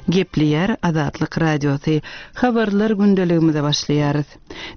Gepleýär Azatlyk Radiosy. Habarlar gündeligimize başlaýarys.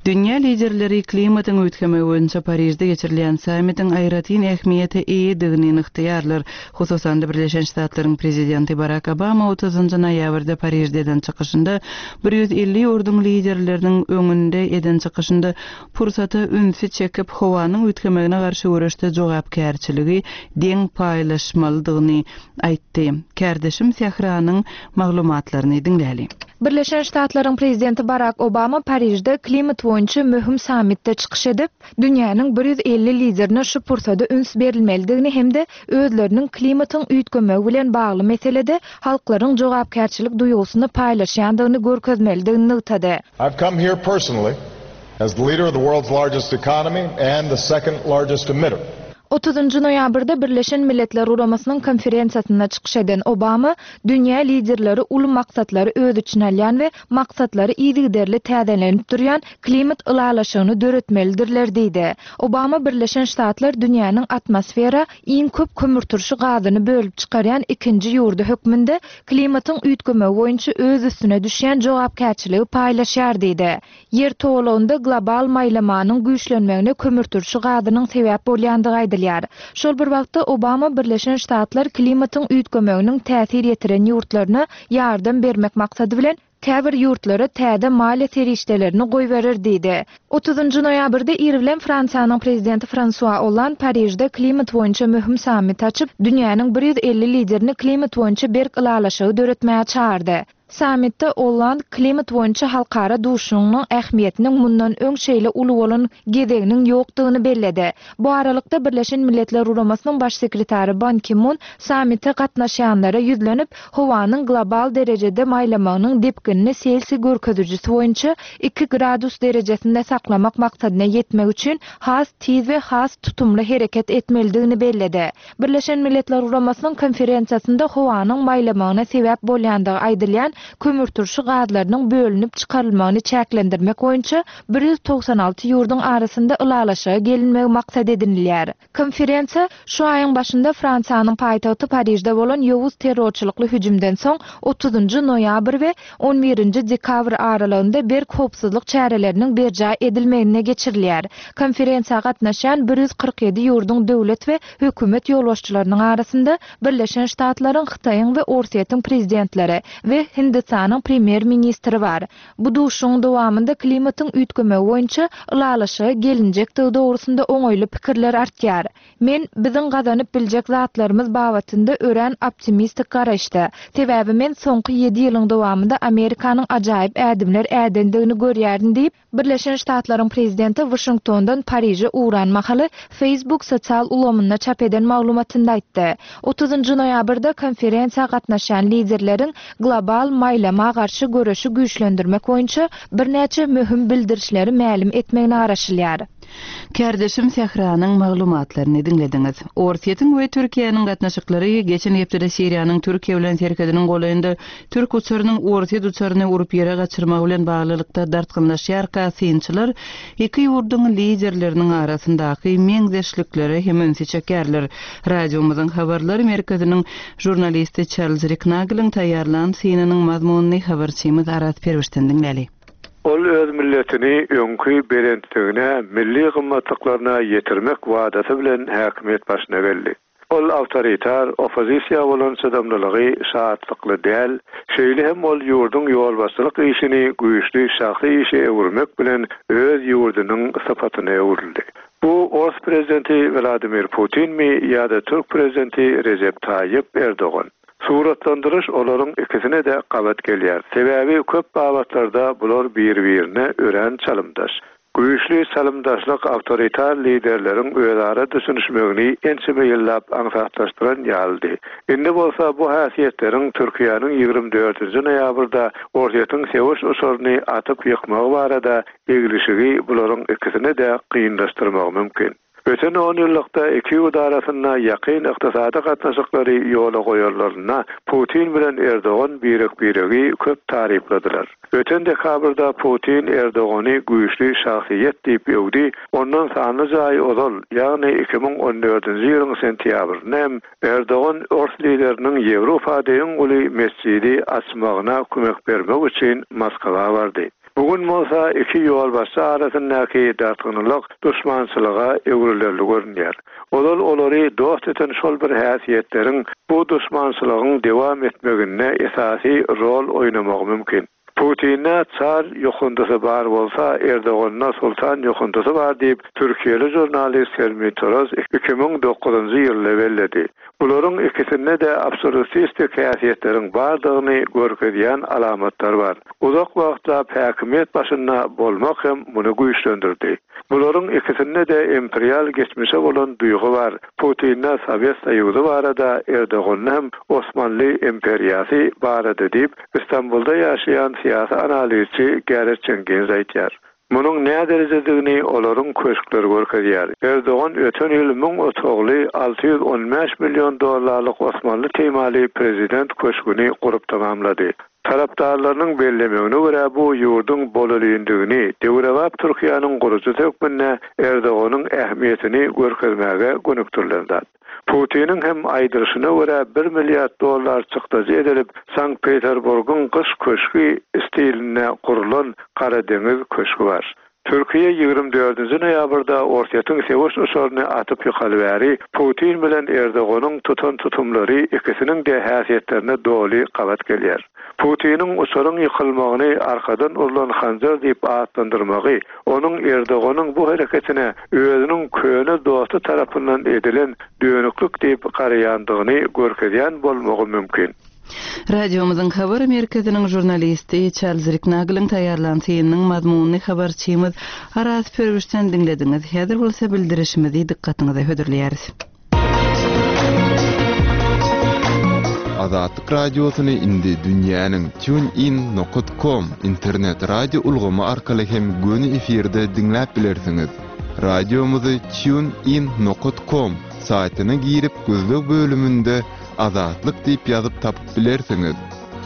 Dünýä liderleri klimatyň üýtgemegi boýunça Parižde geçirilýän sammitiň aýratyn ähmiýete eýedigini nygtaýarlar. Hususan-da, Birleşen Ştatlaryň Prezidenti Barak Obama otuzynjy noýabrda Parižde eden çykyşynda 150 ýurduň liderleriniň öňünde eden çykyşynda pursata ünsi çekip, howanyň üýtgemegine garşy göreşde jogapkärçiligi deň paýlaşmalydygyny aýtdy. Kärdeşim Sähranyň maglumatlaryny diňläli. Birleşen Ştatlaryň Prezidenti Barak Obama Parižde klimat boýunça möhüm sammitde çykyş edip, dünýäniň 150 liderine şu pursada üns berilmelidigini hem-de özleriniň klimatyň üýtgemegi bilen bagly meselede halklaryň jogapkärçilik duýgusyny paýlaşýandygyny görkezmelidigini nygtady. I've come here personally as the leader of the world's largest economy and the second largest emitter. Otuzynjy noýabrda Birleşen Milletler Guramasynyň konferensiýasynda çykyş eden Obama dünýä liderleri uly maksatlary öz içine alýan we maksatlary yzygiderli täzelenip durýan klimat ylalaşygyny döretmelidirler diýdi. Obama Birleşen Ştatlar dünýäniň atmosfera iň köp kömürturşy gazyny bölüp çykarýan ikinji ýurdy hökmünde klimatyň üýtgemegi boýunça öz üstüne düşýän jogapkärçiligi paýlaşýar diýdi. Ýer togalagynda global maýlamanyň güýçlenmegine kömürturşy gazynyň sebäp bolýandygy aýdylýar. Şol bir wagtda, Obama Birleşen Ştatlar klimatyň üýtgemeginiň täsir ýetiren ýurtlaryna ýardam bermek maksady bilen, käbir ýurtlara täze maliýe serişdelerini goýberer diýdi. Otuzynjy noýabrda ir bilen Fransiýanyň Prezidenti Fransua Olland Parižde klimat boýunça möhüm sammit açyp, dünýäniň 150 liderini klimat boýunça berk ylalaşygy döretmäge çagyrdy. Sammitde Olland klimat boýunça halkara duşuşygynyň ähmiýetiniň mundan öň şeýle uly bolan gezeginiň ýokdugyny belledi. Bu aralykda, Birleşen Milletler Guramasynyň Baş sekretary Ban Ki Mun sammite gatnaşýanlara ýüzlenip, howanyň global derejede maýlamagynyň depginini Selsiý görkezijisi boýunça iki gradus derejesinde saklamak maksadyna ýetmek üçin has tiz we has tutumly hereket etmelidigini belledi. Birleşen Milletler Guramasynyň konferensiýasynda howanyň maýlamagyna sebäp bolýandygy aýdylýan kömürturşy gazlarynyň bölünip çykarylmagyny çäklendirmek boýunça 196 ýurduň arasynda ylalaşyga gelinmegi maksat edinilýär. Konferensiýa, şu aýyň başynda Fransiýanyň paýtagty Parižde bolan ýowuz terrorçylykly hüjümden soň otuzynjy noýabr we on birinji dekabr aralygynda berk howpsuzlyk çäreleriniň berjaý edilmeginde geçirilýär. Konferensiýa gatnaşýan 147 ýurduň döwlet we hökümet ýolbaşçylarynyň arasynda Birleşen Ştatlaryň, Hytaýyň we Orsýetiň prezidentleri we Hindistanyň premýer-ministri bar. Bu duşuşygyň dowamynda klimatyň üýtgemegi boýunça ylalaşyga gelinjekdigi dogrusynda oňaýly pikirler artýar. Men biziň gazanyp biljek zatlarymyz babatynda örän optimistik garaýyşda. Sebäbi men soňky ýedi ýylyň dowamynda Amerikanyň ajaýyp ädimler ädendigini görýärin diýip, Birleşen Ştatlaryň prezidenti Waşingtondan Pariže ugran mahaly Facebook sosial ulgamynda çap eden maglumatynda aýtdy. Otuzynjy noýabrda konferensiýa gatnaşýan liderleriň global maýlama garşy göreşi güýçlendirmek boýunça birnäçe möhüm bildirişleri mälim etmegine garaşylýar. Kärdeşim Sähranyň maglumatlaryny diňlediňiz. Orsýetiň we Türkiýäniň gatnaşyklary geçen hepdede Siriýanyň Türkiýe bilen serhediniň golaýynda türk uçarynyň orsýet uçaryny urup ýere gaçyrmagy bilen baglylykda dartgynlaşýarka synçylar iki ýurduň liderleriniň arasyndaky meňzeşliklere hem ünsi çekýärler. Radiomyzyň habarlar merkeziniň žurnalisti Çarlz Riknageliň taýýarlan synynyň mazmunyny habarçymyz Araz Perwişden diňläli. Ol öz milletini öňki belentligine, milli gymmatlyklaryna ýetirmek wadasy bilen häkimiýet başyna geldi. Ol awtoritar, oppozisiýa bolan çydamlylygy şatlykly däl, şeýle hem ol ýurduň ýolbaşçylyk işini güýçli şahsy işe öwürmek bilen öz ýurdunyň sypatyna öwrüldi. Bu ors prezidenti Wladimir Putinmi ýa-da türk prezidenti Rejep Taýyp Erdogan? Suratlandyryş olaryň ikisine-de gabat gelýär. Sebäbi köp babatlarda bular bir-birine örän çalymdaş. Güýçli çalymdaşlyk awtoritar liderleriň özara düşünişmegini ençeme ýyllap aňsatlaşdyran ýalydy. Indi bolsa bu häsiýetleriň Türkiýäniň 24-nji noýabrda Orsýetiň söweş uçaryny atyp ýykmagy barada eglişigi bularyň ikisine-de kynlaşdyrmagy mümkin. Öten onýyllykda iki ýurt arasynda ýakyn ykdysady gatnaşyklary ýola goýanlarynda Putin bilen Erdogan birek-biregi köp tarypladylar. Öten dekabrda Putin Erdogany güýçli şahsyýet diýip öwdi, ondan sanlyja aý ozal, ýagny 2014-nji ýylyň sentýabrynda hem Erdogan ors lideriniň Ýewropada iň uly metjidi açmagyna kömek bermek üçin Moskwa bardy. Bu gün bolsa iki ýolbaşçy arasyndaky dartgynlylyk duşmançylyga öwrülerli görünýär. Ozal olary dost eden şol bir häsiýetleriň bu duşmançylygyň dowam etmeginde esasy rol oýnamagy mümkin. Putinde çar ýokundysy bar bolsa, Erdoganda sultan ýokundysy bar diýip, türkiýeli žurnalist Helmi Toroz 2009-njy ýylda belledi. Bularyň ikisinde-de absolýutistik häsiýetleriň bardygyny görkezýän alamatlar bar. Uzak wagtlap häkimiýet başynda bolmak hem muny güýçlendirdi. Bularyň ikisinde-de imperial geçmişe bolan duýgy bar, Putinde Sowet Soýuzy barada, Erdoganda hem Osmanly imperiýasy barada diýip, Istanbulda ýaşaýan syýasy analizçi Gareth Jenkins aýdýar. Munuň näderejedigini olaryň köşkleri görkezýär. Erdogan öten ýyl müň otagly, 615 million dollarlyk osmanly temaly prezident köşgüni gurup tamamlady. Tarapdarlarynyň bellemegine görä, bu ýurduň bolelindigini, döwrebap Türkiýäniň gurujysy hökmünde Erdoganyň ähmiýetini görkezmäge gönükdirilen zat. Putiniň hem aýdylyşyna görä, bir milliard dollar çykdajy edilip, Sankt-Peterburgyň Gyş köşgi stilinde gurlan Gara deňiz köşgi bar. Türkiýe 24-nji noýabrda Orsýetiň söweş uçaryny atyp ýykaly bäri, Putin bilen Erdoganyň tutan tutumlary ikisiniň-de häsiýetlerine doly gabat gelýär. Putiniň uçaryň ýykylmagyny arkadan urlan hanjar diýip atlandyrmagy, onuň Erdoganyň bu hereketine özüniň köne dosty tarapyndan edilen dönüklik diýip garaýandygyny görkezýän bolmagy mümkin. Radiomyzyň habar merkeziniň žurnalisti Çarlz Riknagliň taýýarlan synynyň mazmunyny habarçymyz Araz Pürwüşden diňlediňiz. Häzir bolsa bildirişimizi dykgatyňyza hödürleýäris. Azatlyk Radiosyny indi dünýäniň TuneIn nokat com internet radio ulgamy arkaly hem göni efirde diňläp bilersiňiz. Radiomyzy TuneIn nokat com saýtyna girip gözleg bölüminde Azatlyk diýip ýazyp tapyp bilersiňiz.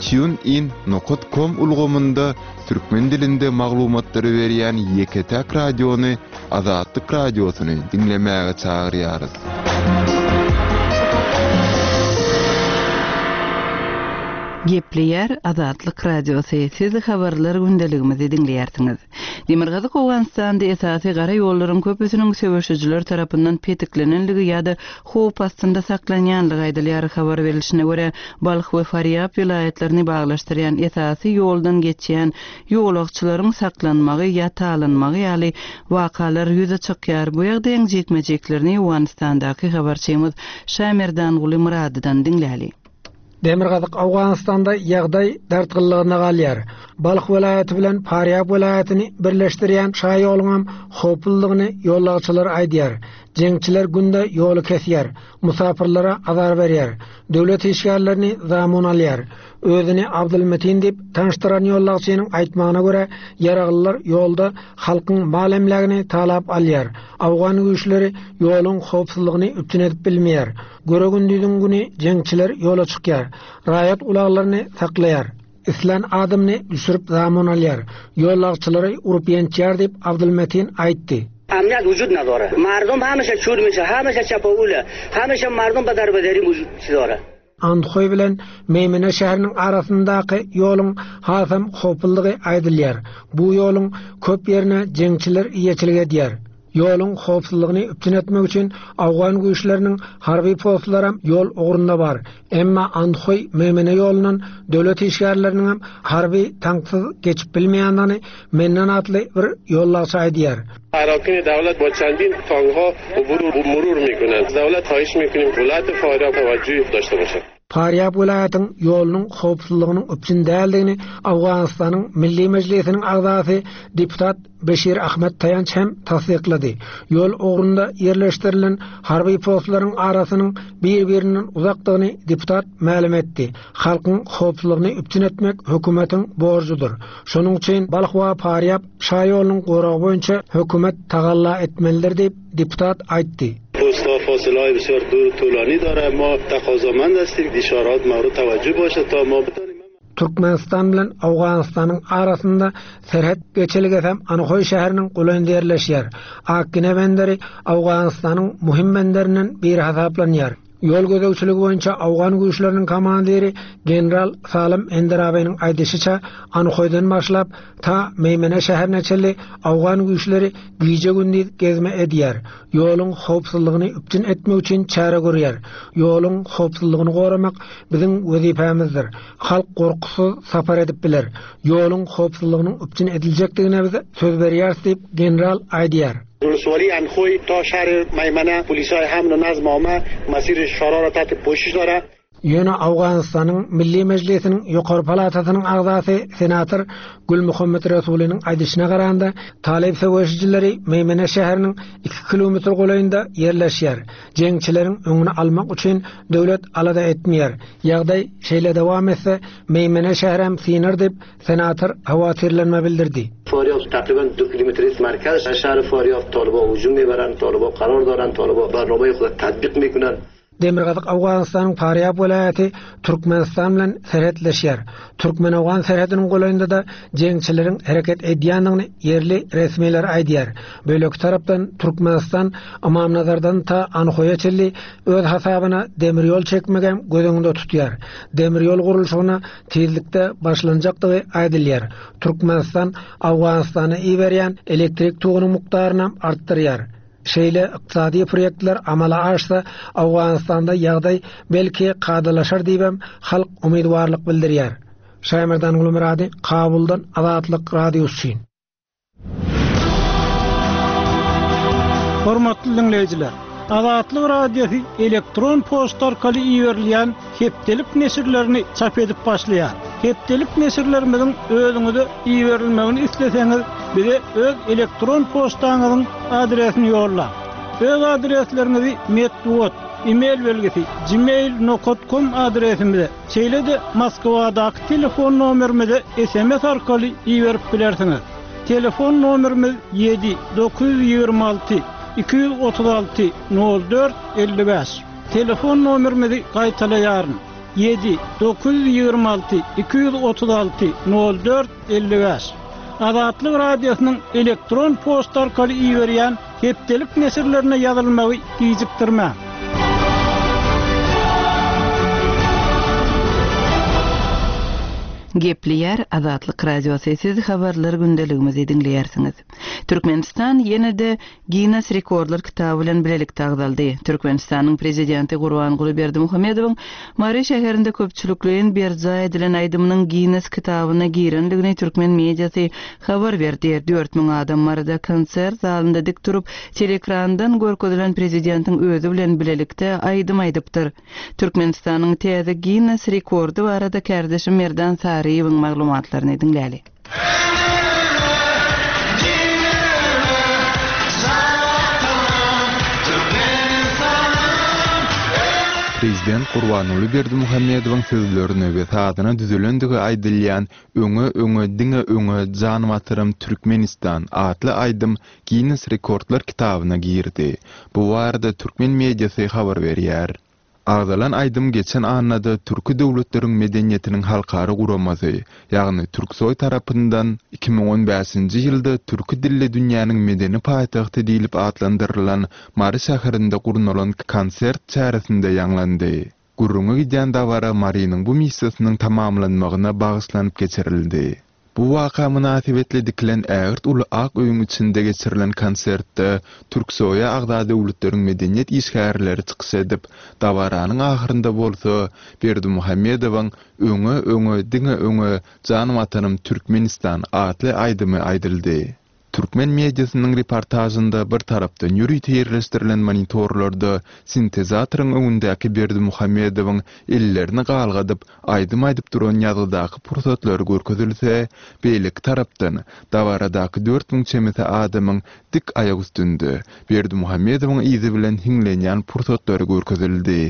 Tune in nokat kom ulgamynda türkmen dilinde maglumatlary berýän ýeke-täk radiony Azatlyk Radiosyny diňlemäge çagyrýarys. Gepleýär Azatlyk Radiosy, siz habarlar gündeligimizi diňleýärsiňiz. Demirgazyk Owganystanda esasy gara ýollaryň köpüsiniň söweşijiler tarapyndan petiklenenligi ýa-da howp astynda saklanýanlygy aýdylýar. Habar berlişine görä, Balh we Farýab welaýatlaryny baglaşdyrýan esasy ýoldan geçýän ýolagçylaryň saklanmagy ýa talanmagy ýaly wakalar ýüze çykýar. Bu ýagdaýyň jikme-jiklerini Owganystandaky habarçymyz Şamerdanguly Myradydan diňläli. Demirgazyk Owganystanda ýagdaý dartgynlygyna galýar. Balh welaýaty bilen Farýab welaýatyny birleşdirýän şaýoluňam howpludygyny ýolagçylar aýdýar. Jeňçiler günde ýoly kesýär, musapyrlara azar berýär, döwlet işgärlerini zamun alýar. Özüni Abdulmetin diýip tanyşdyran ýolagçynyň aýtmagyna görä, ýaraglylar ýolda halkyň mal-emlägini talap alýar. Owgan güýçleri ýoluň howpsuzlygyny üpjün edip bilmeýär. Göre-gündiziň güni jeňçiler ýola çykýar, raýat ulaglaryny saklaýar. Islän adamyny düşürip zamun alýar, ýolagçylary urup-ýençýär diýip, Abdulmetin aýtdy. Amniýat wujud nadora. Mardum hamişe çür mişe, hamişe çapawule, hamişe mardum ba darbederi wujud dora. Andhoý bilen Meýmene şäheriniň arasyndaky ýoluň hasam howpludygy aýdylýar. Bu ýoluň köp ýerine jeňçiler eýeçilik edýär. Ýoluň howpsuzlygyny üpjün etmek üçin owgan güýçleriniň harby postlaram ýol ugrunda bar. Emma Andhoý Meýmene ýolundan döwlet işgärleriniňem harby tanksyz geçip bilmeýändigini Mennan atly bir ýollagçy aýdýar. Arakini dawlat bo çandin tankha ubur u murur mikunand. Dawlat haýyş mikunim welaýat faýda tawajjuh daşta boşad. Farýab welaýatyň ýolunyň howpsuzlygynyň üpjün däldigini Owganystanyň Milli Mejlisiniň agzasy deputat Beşir Ahmet Taýanç hem tassyklady. Ýol ugrunda ýerleşdirilen harby postlaryň arasynyň bir-birinden uzakdygyny deputat mälim etdi. Halkyň howpsuzlygyny üpjün etmek hökümetiň borjudyr. Şonuň üçin Balh we Farýab şaýolunyň goragy boýunça hökümet tagalla etmelidir diýip, deputat aýtdy. Postlar فاصله بسیار دور طولانی داره ما تقاضامند هستیم اشارات مورد توجه باشه تا ما بتانیم Türkmenistan bilen Owganystanyň arasynda serhet geçelgesem Anhoý şäheriniň golaýynda ýerleşýär. Akgine benderi Owganystanyň möhüm benderinden biri hasaplanýar. Ýol gözegçiligi boýunça owgan güýçleriniň komandiri general Salym Enderabynyň aýdyşyça, Anhoýdan başlap, ta Meýmene şäherine çenli owgan güýçleri gije-gündiz gezme edýär, ýoluň howpsuzlygyny üpjün etmek üçin çäre görýär. Ýoluň howpsuzlygyny goramak biziň wezipämizdir. Halk gorkusyz sapar edip biler. Ýoluň howpsuzlygynyň üpjün ediljekdigine biz söz berýäris diýip, general aýdýar. ولسوالی اندخوی تا شهر میمنه پلیسای حمل و نظم عامه مسیر شارا را تحت پوشش داره. Ýöne Owganystanyň Milli Mejlisiniň ýokary palatasynyň agzasy senator Gülmuhammet Resulynyň aýdyşyna garanda, talyp söweşijileri Meýmene şäheriniň iki kilometr golaýynda ýerleşýär. Jeňçileriň öňüni almak üçin döwlet alada etmeýär. Ýagdaý şeýle dowam etse, Meýmene şäherem synar diýip, Senator howatyrlanma bildirdi. فاریاب تقریبا دو کیلومتری مرکز شهر فاریاب طالبا هجوم میبرند طالبا قرار دارند طالبا برنامه خود تطبیق میکنند Demirgazyk Owganystanyň Farýab welaýaty Türkmenistan bilen serhetleşýär. Türkmen-owgan serhediniň golaýynda-da jeňçileriň hereket edýändigini ýerli resmiler aýdýar. Beýleki tarapdan Türkmenistan Ymamnazardan ta Anhoýa çenli öz hasabyna demir ýol çekmegem göz öňünde tutýar. Demir ýol gurluşygyna tizlikde başlanjakdygy aýdylýar. Türkmenistan Owganystana iberýän elektrik togunyň mukdarynam artdyrýar. Şeýle ykdysady proýektler amala aşsa, Owganystanda ýagdaý belki kadalaşar diýibem halk umydybarlyk bildirýär. Şaýmerdan Gulmyrady, Kabuldan Azatlyk Radiosy üçin. Hormatly diňleýjiler! Azatlyk Radiosy elektron poçta arkaly iberilýän hepdelik neşirlerini çap edip başlaýar. Hepdelik neşirlerimiziň özüňize iberilmegini isleseňiz, bize öz elektron poçtaňyzyň adresini ýollaň. Öz adresleriňizi metbugat, e-mail belgisi, gmail nokat kom adresimize, Şeýle-de Moskwadaky telefon nomerimize sms arkaly iberip bilersiňiz. Telefon nomerimiz ýedi 926 236 04 55. Telefon nomerimizi gaýtalaýaryn, ýedi 926 236 04 55. Azatlyk Radiosynyň elektron poçta arkaly iberýän Hepdelik neşirlerine ýazylmagy gijikdirmäň! Gepleýär Azatlyk Radiosy, siz habarlar gündeligimizi diňleýärsiňiz. Türkmenistan ýene-de Ginnes rekordlar kitaby bilen bilelikde agzaldy. Türkmenistanyň Prezidenti Gurbanguly Berdimuhamedowyň Mary şäherinde köpçülikleýin berjaý edilen aýdymynyň Ginnes kitabyna girendigini türkmen mediasy habar berdi. 4000 adam Maryda konsert zalynda dik durup, teleekrandan görkezilen prezidentiň özi bilen bilelikde aýdym aýdypdyr. Türkmenistanyň täze Ginnes rekordy barada kärdeşim Merdan Saryýewiň maglumatlaryny diňläli. Prezident Gurbanguly Berdimuhamedowyň sözlerine we sazyna düzülendigi aýdylýan Öňe, öňe, diňe öňe, jan Watanym Türkmenistan atly aýdym Ginnes rekordlar kitabyna girdi. Bu barada türkmen mediasy habar berýär. Agzalan aýdym geçen annada Türki döwletleriň medeniýetiniň halkara guramasy, ýagny Türksoý tarapyndan 2015-nji ýylda türki dilli dünýäniň medeni paýtagty diýlip atlandyrylan Mary şäherinde gurnalan konsert çäresinde ýaňlandy. Gürrüňi gidýän dabara Marynyň bu missiýasynyň tamamlanmagyna bagyşlanyp geçirildi. Bu waka mynasybetli dikilen ägirt uly ak öýüň içinde geçirilen konsertde Türksoýa agza döwletleriň medeniýet işgärleri çykyş edip, dabaranyň ahyrynda bolsa Berdimuhamedowyň Öňe, öňe, diňe öňe, jan Watanym Türkmenistan atly aýdymy aýdyldy. Türkmen mediasynyň reportažynda bir tarapdan ýörite ýerleşdirilen monitorlarda sintezatoryň öňündäki Berdimuhamedowyň ellerini galgadyp, aýdym aýdyp duran ýazgydaky pursatlary görkezilse, beýleki tarapdan, dabaradaky 4000 çemesi adamyň dik aýak üstünde, Berdimuhamedowyň yzy bilen hiňlenýän pursatlary görkezildi.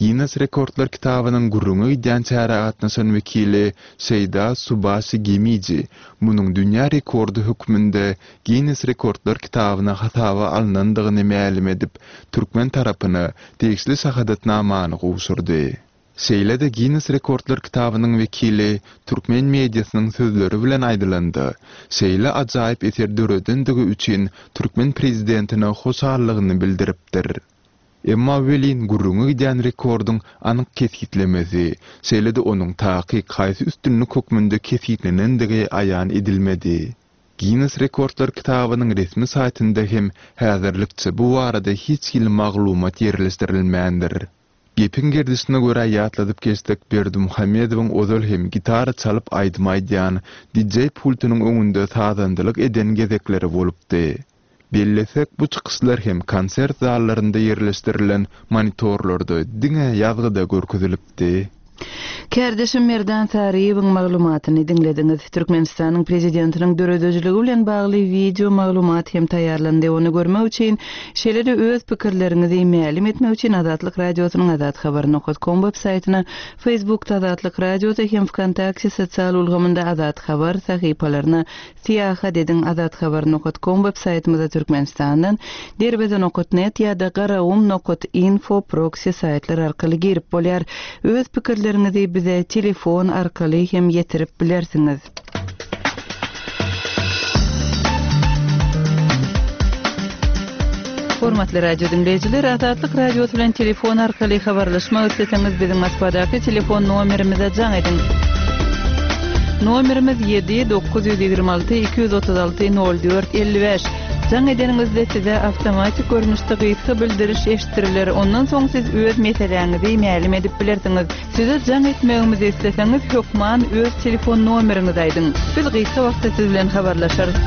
Ginnes rekordlar kitabynyň gürrüňi gidýän çärä gatnaşan wekili Şeýda Subaşi Gemiji munuň dünýä rekordy hökmünde Ginnes rekordlar kitabyna hasaba alnandygyny mälim edip, türkmen tarapyna degişli şahadatnamany gowşurdy. Şeýle-de Ginnes rekordlar kitabynyň wekili türkmen mediasynyň sözleri bilen aýdylanda, şeýle ajaýyp eser döredendigi üçin türkmen prezidentine hoşallygyny bildiripdir. Emma welin gürrüňi gidýän rekordyň anyk kesgitlemesi, şeýle-de onuň takyk haýsy üstünlik hökmünde kesgitlenendigi aýan edilmedi. Ginnes rekordlar kitabynyň resmi saýtynda hem häzirlikçe bu barada hiç hili maglumat ýerleşdirilmändir. Gepiň gerdişine görä ýatladyp geçsek, Berdimuhamedowyň ozal hem gitara çalyp aýdym aýdýan, DJ pultunyň öňünde sazandalyk eden gezekleri bolupdy. Bellesek, bu çykyşlar hem konsert zallarynda ýerleşdirilen monitorlarda diňe ýazgyda görkezilipdi. Kärdeşim Merdan Saryýewiň maglumatyny diňlediňiz. Türkmenistanyň Prezidentiniň döredijiligi bilen bagly wideo maglumat hem taýýarlandy. Ony görmek üçin, şeýle-de öz pikirleriňizi mälim etmek üçin Azatlyk Radiosynyň azathabar nokat kom web saýtyna, Facebookda Azatlyk Radiosy hem Wkontakte sosial ulgamynda Azathabar sahypalaryna Syýahat ediň Azathabar nokat kom web saýtymyza Türkmenistandan, Derweze nokat net ýa-da Garagum nokat info proksi saýtlar arkaly girip bolýar. Öz pikirleriňizi bize telefon arkaly hem ýetirip bilersiňiz. Hormatly radio diňleýjiler, Azatlyk Radiosy bilen telefon arkaly habarlaşmak isleseňiz biziň Moskwadaky telefon nomerimize jaň ediň. Nomerimiz 7 926 236 04 55. Jaň edeniňizde size awtomatik görnüşde gysga bildiriş eşitdiriler. Ondan soň siz öz meseläňizi mälim edip bilersiňiz. Size jaň etmegimizi isleseňiz hökman öz telefon nomeriňizi aýdyň. Biz gysga wagtda siz bilen habarlaşarys.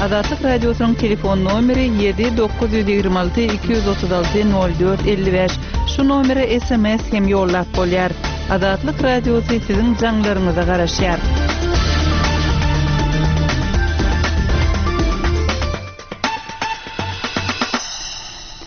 Azatlyk Radiosynyň telefon nomeri 7 926 236 04 55. Şu nomere sms hem ýollap bolýar. Azatlyk Radiosy siziň jaňlaryňyza garaşýar.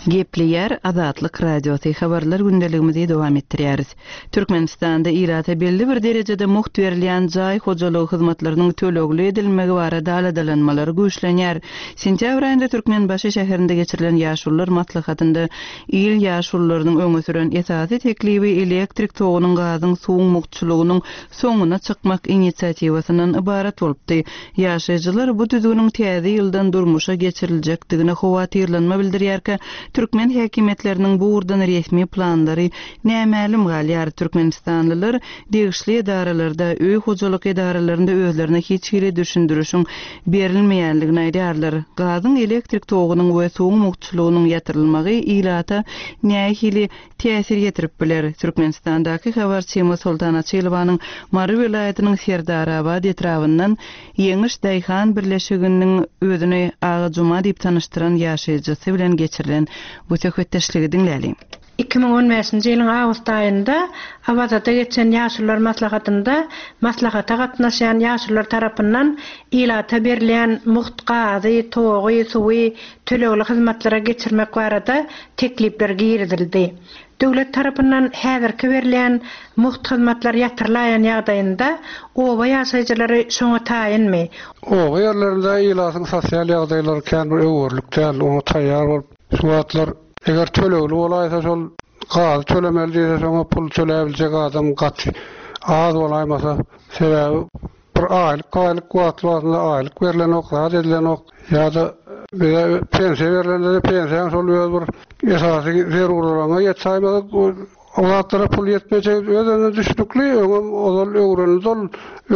Gepleýär Azatlyk Radiosy, Habarlar gündeligimizi dowam etdirýäris. Türkmenistanda ilata belli bir derejede mugt berilýän jaý hojalygy hyzmatlarynyň tölegli edilmegi barada aladalanmalar güýçlenýär. Sentýabr aýynda Türkmenbaşy şäherinde geçirilen Ýaşulular maslahatynda il ýaşulularynyň öňe süren esasy teklibi elektrik togunyň, gazyň, suwuň mugtçulygynyň soňuna çykmak inisiatiwasyndan ybarat bolupdy. Ýaşaýjylar bu düzgüniň täze ýyldan durmuşa geçiriljekdigine howatyrlanma bildirýärkä, türkmen häkimiýetleriniň bu ugurdan resmi planlary nämälim galýar. Türkmenistanlylar degişli edaralarda, öý hojalyk edaralarynda özlerine hiç hili düşündirişiň berilmeýänligini aýdýarlar. Gazyň, elektrik togunyň we suwuň mugtçulygynyň ýatyrylmagy ilata nähili täsir ýetirip biler. Türkmenistandaky habarçymyz Soltan Açylowanyň Mary welaýatynyň Serdarabat etrabyndan Ýeňiş daýhan birleşiginiň özüni Aga Juma diýip tanyşdyran ýaşaýjysy bilen geçirilen bu söhbetdeşligi diňläliň. 2015-nji ýylyň awgust aýynda Awazada geçen Ýaşulular maslahatynda maslahata gatnaşýan ýaşulular tarapyndan ilata berilýän mugt gazy, togy, suwy tölegli hyzmatlara geçirmek barada teklipler girizildi. Döwlet tarapyndan häzirki berilýän mugt hyzmatlar ýatyrylaýan ýagdaýynda oba ýaşaýjylary şoňa taýynmy? Oba ýerlerinde ilatyň sosial ýagdaýlary kän bir öwerlik däl, oňa taýýar bolup şu wagtlar eger tölegli bolaýsa şol gazy tölemeli diýse şoňa pul töläbiljek adam gaty az bolaýmasa sebäbi Bir aýlyk aýlyk wagtly wagtynda aýlyk berlenok, zat edilenok. Ýa-da bize pensiýa berlende-de pensiýaň şol öz bir esasy zerurlygyňa ýetsäýmese o zatlara pul ýetmejegi öz-özünden düşnükli. Öňem ozal öwrenildi ol.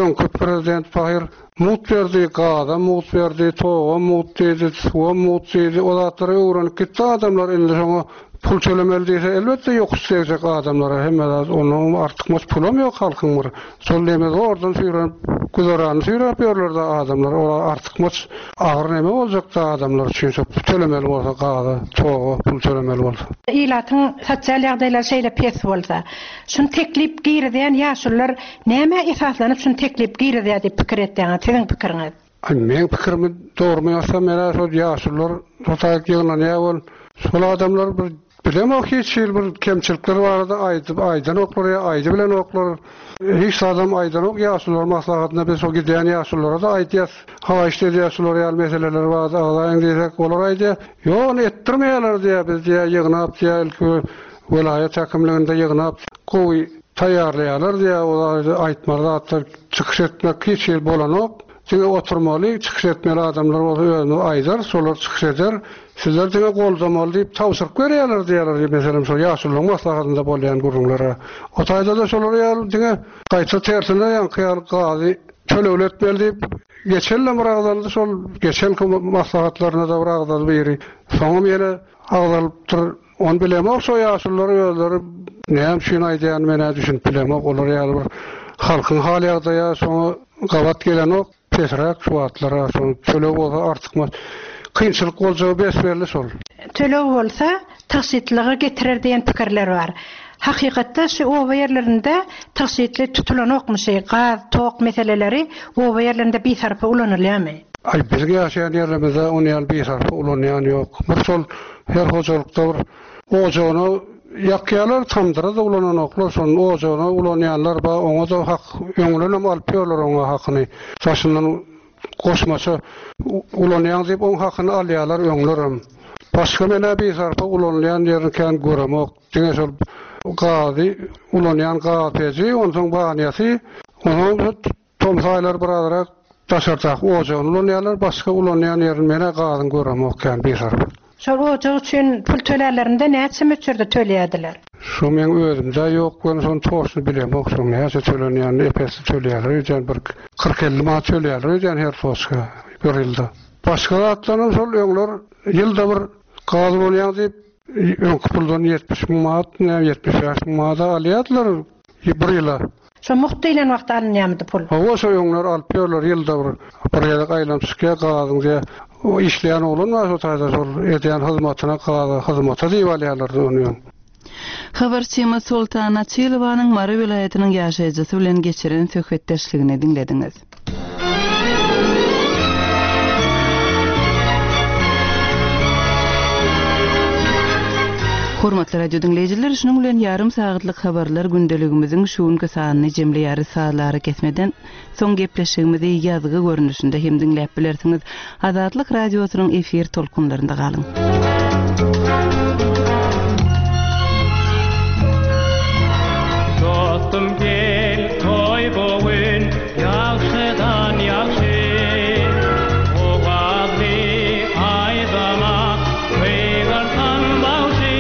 Öňki prezident pahyr mugt berdi, gazam mugt berdi, togam mugt diýdi, suwam mugt diýdi. O zatlara öwrenip gitdi adamlar. Indi şoňa. Pul tölemeli diýse, elbetde ýokuş degjek adamlara hemme zat, onnoňam artykmaç pulam ýok halkyň bir. Şol neme zordan süýrenip, güzeranyny süýräp ýörler-de adamlar, olar artykmaç agyr neme boljakda adamlar üçin şo tölemeli bolsa gaza, toga pul tölemeli bolsa. Ilatyň sosial ýagdaýlary şeýle pes bolsa, şuny teklip girizýän ýaşulular nämä esaslanyp şuny teklip girizýär diýip pikir etýäňiz, siziň pikiriňiz? Aý meň pikirimi dogrymy ýazsam menä şol ýaşulular şo taýyk ýygnanýar bol şol adamlar bir bilemok hiç hili bir kemçilikler barada aýdyp aýdanoklar ýa aýdybilenoklar hiç zadam aýdanok ýaşulular maslahatynda biz şo gidýän ýaşululara-da aýdýas haýyşt edýäs şular ýaly meseleler barada agzaýyň diýsek olar aýdýar ýok ony etdirmeýärler diýýär biz diýýär ýygnap diýýär ilki welaýat häkimliginde ýygnap gowy taýýarlaýarlar diýýär o aýtmaly zatlar çykyş etmek hiç hili bolanok. Diňe oturmaly, çykyş etmeli adamlar bolsa özümiz aýdarys, şolar çykyş eder. Sizler diňe goldamaly diýip tabşyryk berýärler diýýärler, meselem şol ýaşulularyň maslahatynda bolýan gürrüňlere. O taýda-da şolar ýaly diňe gaýta tersine ýaňky ýaly gazy tölegli etmeli diýip geçen ýylam bir agzaldy şol geçenki maslahatlarynda-da bir agzaldy biri. Soňam ýene agzalypdyr. Ony bilemok şo ýaşulular özleri näme üçin aýdýanyny menä düşünip bilemok olar ýaly bir halkyň hal ýagdaýa şoňa gabat gelenok pesräk şu wagtlara şo töleg bolsa artykmaç kynçylyk boljagy bes belli şol. Töleg bolsa tygşytlyga getirer diýen pikirler bar. Hakykatda şu oba ýerlerinde tygşytly tutulanokmy şy gaz, tok meseleleri oba ýerlerinde bisarpa ulanylýamy? Aý biziň ýaşaýan ýerlerimizde ony ýaly bisarpa ulanýan ýok. Bir şol Her hojalykda bir ojagyna ýakýarlar, tamdyra-da ulananoklar, şony ojagyna ulanýanlar bar, oňa-da hak, öňündenem alyp ýörler oňa hakyny. Daşyndan goşmaça ulanýaň diýip, oň hakyny alýarlar öňlerem. Başga men-ä bisarpa ulanylýan ýerini kän göremok. Diňe şol gazy ulanýan gaz peji, onsoň banýasy, onsoň Tomus aýlary birazrak daşardaky ojagyny ulanýarlar, başga ulanýan ýerini men-ä gazyň göremok kän bisarpa. Şol ojak üçin pul tölärlerinde näçe möçberde tölýärdiler? Şo meň özümde ýok welin şony toçny bilemok şoň näçe tölenýänini ep-esli tölýärler öýdýän bir 40-50 manat tölýärler öýdýän her toçka bir ýylda. Başga zatlaram şol öňler ýylda bir gaz ulanýaň diýip öňki puldan 70 müň manat näme 75 müň manada alýardylar bir ýyla. Şo mugt diýlen wagtda alynýamydy pul? Hawa şo öňler alyp ýörler ýylda bir bir gezek aýlanyp çykýar gazyň diýä o işleýän oglan bar şo taýda şol edýän hyzmatyna gaza hyzmata diýip alýarlardy ony öň. Habarçymyz Soltan Açylowanyň Mary welaýatynyň ýaşaýjysy bilen geçiren söhbetdeşligini diňlediňiz. Hormatly radio diňleýjiler, şunuň bilen ýarym sagatlyk habarlar gündeligimiziň şu günki sanyny jemleýäris. Sazly arakesmeden soň gepleşigimizi ýazgy görnüşinde hem diňläp bilersiňiz. Azatlyk Radiosynyň efir tolkunlarynda galyň. Dostum gel toý bu gün ýagşydan ýagşy Owazly aýdama gygyrsan bagşy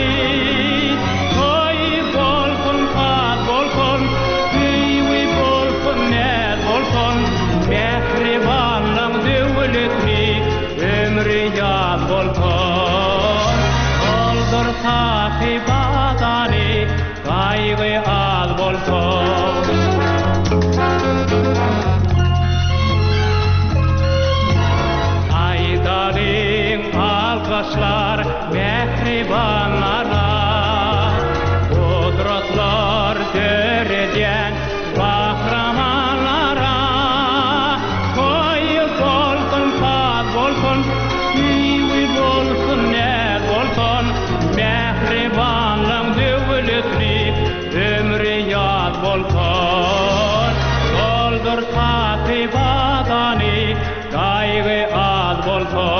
Toý bolsun saz bolsun söýgi bolsun näz bolsun Mähribanlaň döwletli ömri ýaz bolsun Doldur sahy bazary Gaýgy az bolsun. Aýdalyň alkyşlar mähribanlara, Gudratlar döredýän gahrymanlara. Toý bolsun, saz bolsun, söýgi bolsun, näz bolsun, Mähribanlaň döwletli ömri ýaz bolsun. Doldur saky badany, gaýgy az bolsun.